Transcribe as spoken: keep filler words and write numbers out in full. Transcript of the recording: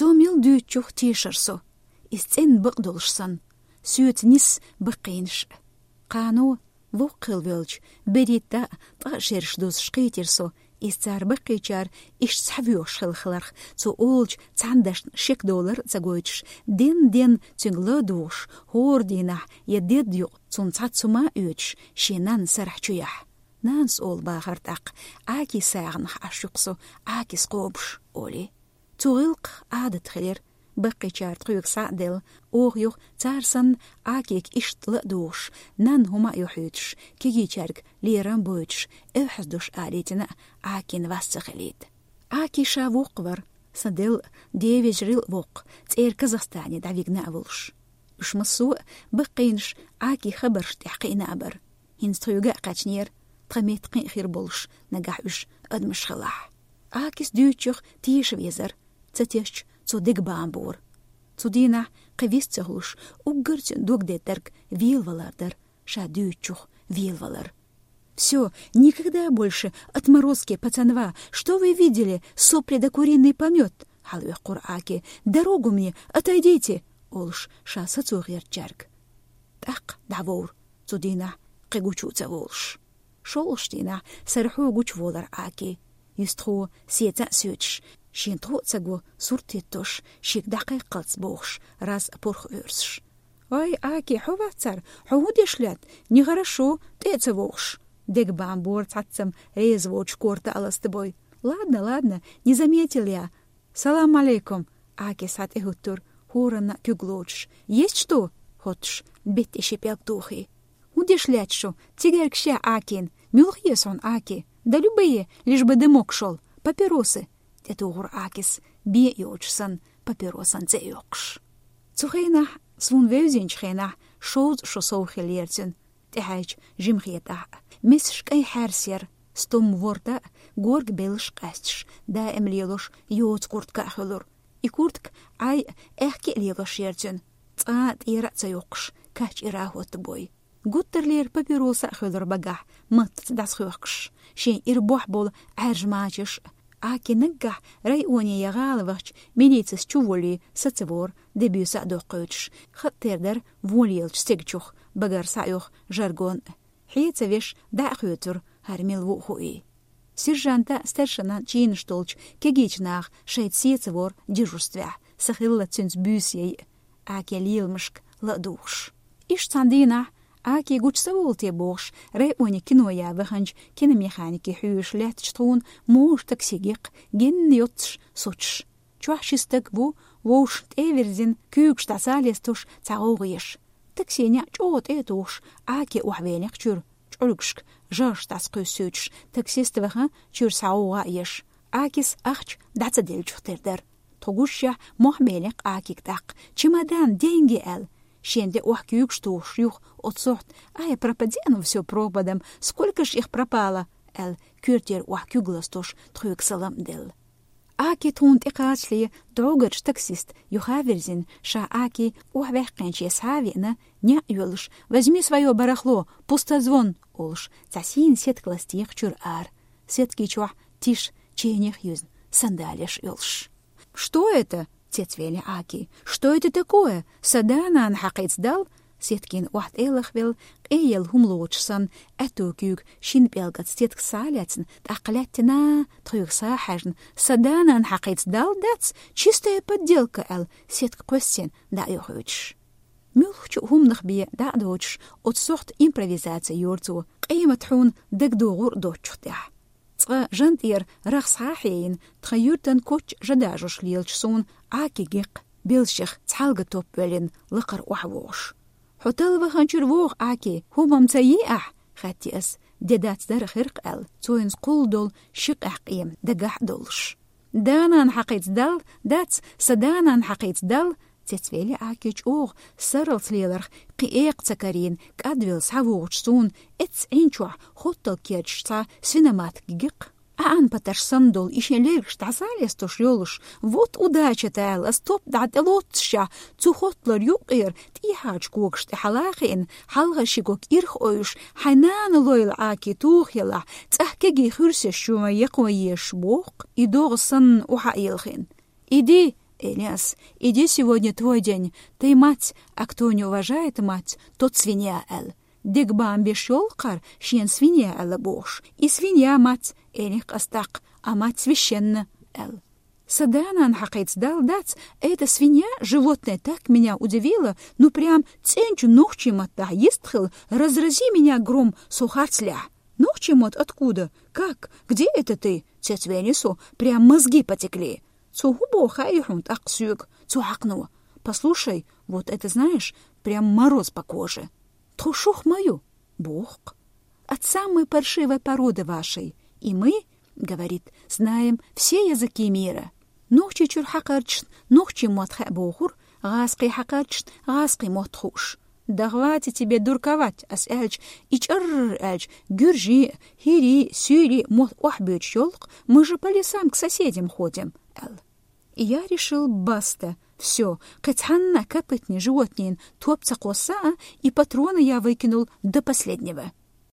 Цо мел дуьйцучух тешар со, иза цӀена бакъдолуш санна, соьца нисса баккхийнаш. Кхано, воккха хилла велча, берхӀитта а ткъа а шераш дузуш кхийтира со, иза цара баккхийчара иштта схьавоьхуш хилла хиларх, цо олучу цхьана дашна шек долар а ца гойтуш, ден-ден цуьнга ладугӀуш, хӀора дийнахь я дедда юкъа цунна цхьацца хӀума а оьцуш, шен нанна сарахь чу яхь. «Нанас», олу бахара тӀаккха, «Аки сагӀанах Ӏаш ю-кх со, Акис кхобуш», олий. Цу гӀиллакхах Ӏадат хилира, баккхийчара тхоьга схьа а делла, оха юха цара санна Акига иштта ла а дугӀуш, нанна хӀума а юьхьуьйтуш, кегийчаьрга лерам а бойтуш, эвхьаздуш алийтина а Акин вас ца хилийта. Аки ша воккха вара, сан делла а, ден вежарий а воккха, цӀера Казахстане дӀавигна а волуш. Уьш массо а баккхийнаш Акин хабаршна тӀехь кхиъна а бара. ХӀинца тхоьга а кхаьчнера, тхан метта кхин а хир болуш, нагахь уьш адамаш хилахь. Акис дуьйцучух теша везара, ца тешча, цо дегабаам бора. Цу дийнахь кхин вист ца хуьлуш, уггар цуьнан дог деттарг велавалар дара, ша дуьйцучух велавалар. «Всё, никогда больше, отморозки пацанва, что вы видели, сопли да куриный помёт?» — хьалаоьккхура Аки. «Дорогу мне, отойдите!» — олуш, ша сацо гӀертачаьрга. ТӀаккха дӀавовра, цу дийнахь кхин гучу а ца волуш. ШолгӀачу дийнахь сарахьо гучуволура Аки. Юьстахо сеца а соьцуш, шен тхо а ца го, сурт хӀиттош, шега дӀакхайкхалц бохуш, раз а пурх Ӏоьрсуш. «Ой, Аки, хьо вацара, хьо хӀун деш лаьтта? Нехарашо, тӀе а ца вохуш». Дегабаам бора цхьаццам реза воцуш корта а ластабой. «Ладно, ладно, не заметил я». «Салам алейкум», — Аки схьа тӀе хӀуттура, хӀоранна а куьг лоцуш. «Есть что?» — хоттуш, беттан ши пӀелг тухий. «ХӀун деш лаьтта шу? Цигаркаш я Акин? Муьлха еза хьуна, Аки?» «Да любые, лишь бы дымок шёл. Папиросы», — тӀетухура Акис, бен а йоцуш санна, папиросан цӀе а йоккхуш. Цу хенахь, суна вевзинчу хенахь, шовзткъа шо сов хиллера цуьнан, тӀехьаьжча жимахетахь а. Месаш кӀайн хьаьрса яра, стом ворта а, горга беллаш а къаьсташ, даим лелош йоцу куртка а хуьлура. И куртка Ӏай а, аьхке а лелош яра цуьнан, цкъа а тӀера а ца йоккхуш, каччӀира а хӀоттабой. Гуттарлера папироса а хуьлура багахь, маттаца дӀасахоьхкуш, шен ира бохь болу Ӏаьржа мачаш а. Аки наггахь районе я гӀала вахча милицис чу волий, сацавора, дебуьйса а доккхуьйтуш, хатӀ тера дара вон лелачу стегачух, багара схьаоьху жаргон а. Хье ца веш, дӀа а хоьцура, хӀара мила ву а хуий. Сержанта а, старшинан а чийнаш долчу кегийчу наха шайца сецавора дежурствехь, сан хилла цуьнца буьйса яй а, Аки леламашка ла а духуш. Иштта цхьана дийнахь, Аки гучу ца волу те бохуш, районе кино ян ваханчу киномеханике хьоьжуш лаьттачу тхуна можа такси гиккха, генна йоццуш, сучуш. Чохь ши стаг ву, вовшашна тӀе а вирзина, куьйгаш дӀасалестуш, цхьа гӀовгӀа еш. Такси неӀ чӀогӀа тӀе а тухуш, Аки охьавеллакх чуьра, чӀулгашка жагӀаш дӀасакхуьссуьйтуш, таксист ваха, чуьра схьа гӀовгӀа а еш. Акис ахча дӀа ца деллачух тера дара. Тхо гушшехь, мохь беллакх Акига тӀаккха: «Чемодан, деньги!» — аьлла. Шен де охьа куьйгаш тухуш юха оцу сохьта: «Ай, пропади оно всё пропадом, сколько ж их пропало!» — аьлла, коьртера охьа куьг ластуш, тхоьга салам а делла. Аки тхуна тӀекхачале дӀогӀучу таксист юха а вирзина, ша Аки охьаваьккхинче схьа а веана, неӀ а йоьллуш: «Возьми своё барахло, пустозвон!» — олуш, цхьа сийна сетка ластийра чуьра ара. Сеткий чохь тиша, ченех юьзна, сандалеш йолуш. «Что это?» — цецвели Аки. «Что это такое? Сан да-нана хьакхица дал?» Сеткина охьатӀе а лахвелла, къеелла хӀума лоцуш санна, аьтту куьйга шина пӀелгаца сеткаца схьа а лаьцна, тӀаккха лаьттина, тхоьга схьа а хьаьжна: «Сан да-нана хьакхица дал, дац? Чистая подделка!» — аьлла, сетка кхоьссина дӀа а йохуьйтуш. Муьлххачу а хӀуманах бен дӀа а доцуш, оцу сохьта импровизаци йора цо, къемат хьуна дагадогӀур а доцучух тӀехь. Цкъа жан тӀера рагӀ схьа а хьеина, тхан юьртан коч жа дажош лелачу суна Аки гиккха, белшех цхьалга топ веллина, лакхара охьавогӀуш. «Хьо талла ваханчуьра вогӀу, Аки, хӀумма-м ца йи ахь?» — хаьттира ас, де дац дара хирх аьлла, цо хӀинца кхулла долу ши къаьхьа къема дагахь а долуш. «Да-нана хьакхица дал, дац, сан да-нана хьакхица дал!» — цецвели Аки чӀогӀа, сарралц леларх кхин экха ца карийна, кӀадвелла схьавогӀучу суна эццӀа Ӏин чохь хоттал керчаш цхьа свиноматка гиккха, Ӏаьнан патарш санна долу и шен лергаш дӀасалестуш йолуш, вот удача-та аьлла, ас топ дӀа тӀелоццушехь, цу хотталара юккъера тӀехьарчу когаш тӀе хьалахиъна, хьалха ши гог ирх ойуш, хьайн нана лойла Аки туха елахь, цӀахь кегий хуьрсеш чу ма якхо езаш боху-кх, и догӀа санна охьа а йилхина. «Иди!» Элиас, иди, сегодня твой день, ты мать, а кто не уважает мать, тот свинья, аьлла. Дегабаам беш йолу кхара шена свинья аьлла бохуш. И свинья мать, элих къастакх, а мать священна, аьлла. Сан да-нана хьакхийца далла дац, эта свинья, животное, так меня удивило, ну прям цӀеначу нохчийн маттахь йистхила, разрази меня гром, со харцлехь. Нохчийн мотт откуда? Как? Где это ты? Цецвели со, прям мозги потекли. Цо хӀун боху хаьий хьуна тӀаккха соьга, цу хьакхано? Послушай, вот это знаешь, прям мороз по коже. Тхо шух ма ю, боху-кх. От самой паршивой породы вашей. И мы, говорит, знаем все языки мира. Нохчийчуьра хьакхарчашна нохчийн мотт хаьа бохура, гӀазкхийн хьакхарчашна гӀазкхийн мотт хууш. Да хватит тебе дурковать, ас аьлча, и чӀарр аьлча, гуьржийн, хӀирийн, суьйлийн мотт охьабоьдуш йолу-кх, мы же по лесам к соседям ходим, аьлла. И я решил, баста, всё, кхин цхьанна копытный животнийн топ ца кхосса а, и патроны я выкинул до последнего.